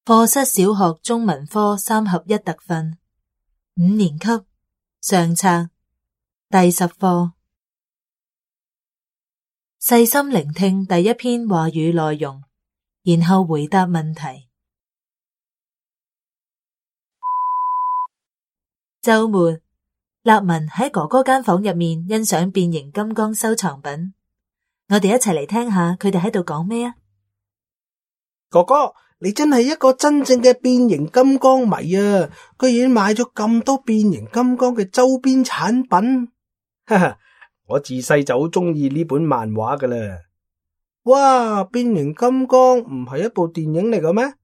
課室小學中文科3合1特訓，5年級上冊第10課。細心聆聽第一篇話語內容，然後回答問題。週末，立文喺哥哥間房入面欣賞變形金剛收藏品。我哋一齊嚟聽下佢哋喺度講咩啊！哥哥，你真係一個真正嘅變形金剛迷啊！居然買咗咁多變形金剛嘅周邊產品。哈哈，我自細就好中意呢本漫畫噶啦。哇，變形金剛唔係一部電影嚟嘅咩？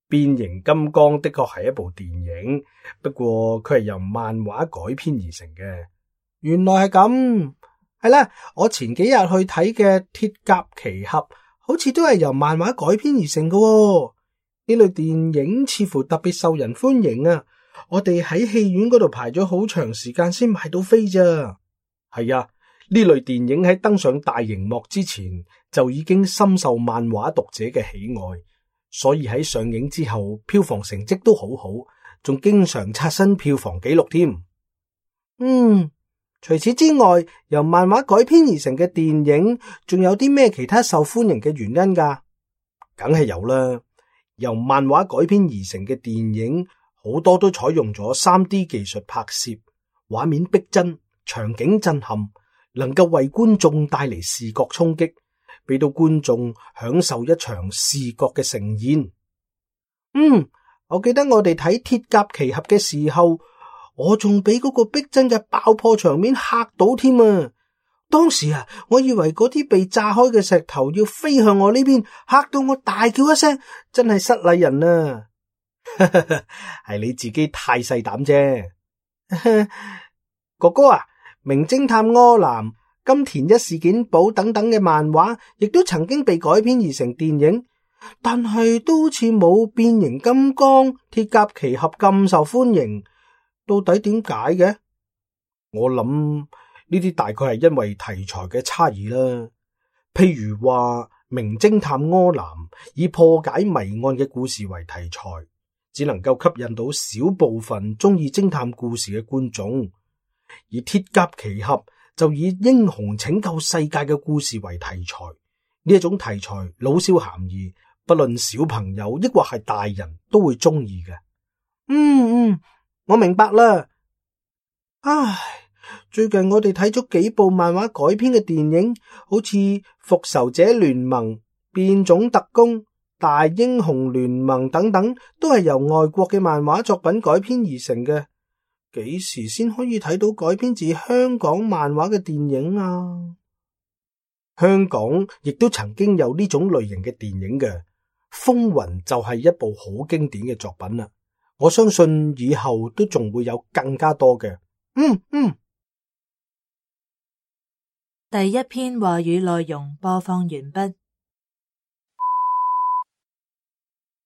變形金剛的確係一部電影，不過佢係由漫畫改編而成嘅。原來係咁，係啦，我前幾日去睇嘅鐵甲奇俠，好似都係由漫畫改編而成嘅喎。呢類電影似乎特別受人歡迎啊！我哋喺戲院嗰度排咗好長時間先買到飛咋。係啊，呢類電影喺登上大熒幕之前就已經深受漫畫讀者嘅喜愛，所以喺上映之後票房成績都好好，仲經常刷新票房紀錄添。除此之外，由漫畫改編而成嘅電影仲有啲咩其他受歡迎嘅原因㗎？梗係有啦。由漫畫改編而成嘅電影好多都採用咗 3D 技術拍攝，畫面逼真，場景震撼，能夠為觀眾帶嚟視覺衝擊，俾到觀眾享受一場視覺嘅盛宴。我記得我哋睇鐵甲奇俠嘅時候，我仲俾嗰個逼真嘅爆破場面嚇到添啊！當時我以為嗰啲被炸開嘅石頭要飛向我呢邊，嚇到我大叫一聲，真係失禮人啊！係你自己太細膽啫。哥哥啊，名偵探柯南、金田一事件簿等等嘅漫畫，亦都曾經被改編而成電影，但係都好似冇變形金剛、鐵甲奇俠咁受歡迎。到底點解嘅？我諗呢啲大概係因為題材嘅差異啦。譬如話名偵探柯南以破解謎案嘅故事為題材，只能夠吸引到少部分中意偵探故事嘅觀眾，而鐵甲奇俠就以英雄拯救世界嘅故事為題材。呢一種題材老少咸宜，不論小朋友抑或係大人都會中意嘅。我明白啦。唉，最近我哋睇咗幾部漫畫改編嘅電影，好似復仇者聯盟、變種特工、大英雄聯盟等等，都係由外國嘅漫畫作品改編而成嘅。幾時先可以睇到改編自香港漫畫嘅電影啊？香港亦都曾經有呢種類型嘅電影嘅，《風雲》就係一部好經典嘅作品啦。我相信以後都仲會有更加多嘅。第一篇話語內容播放完畢。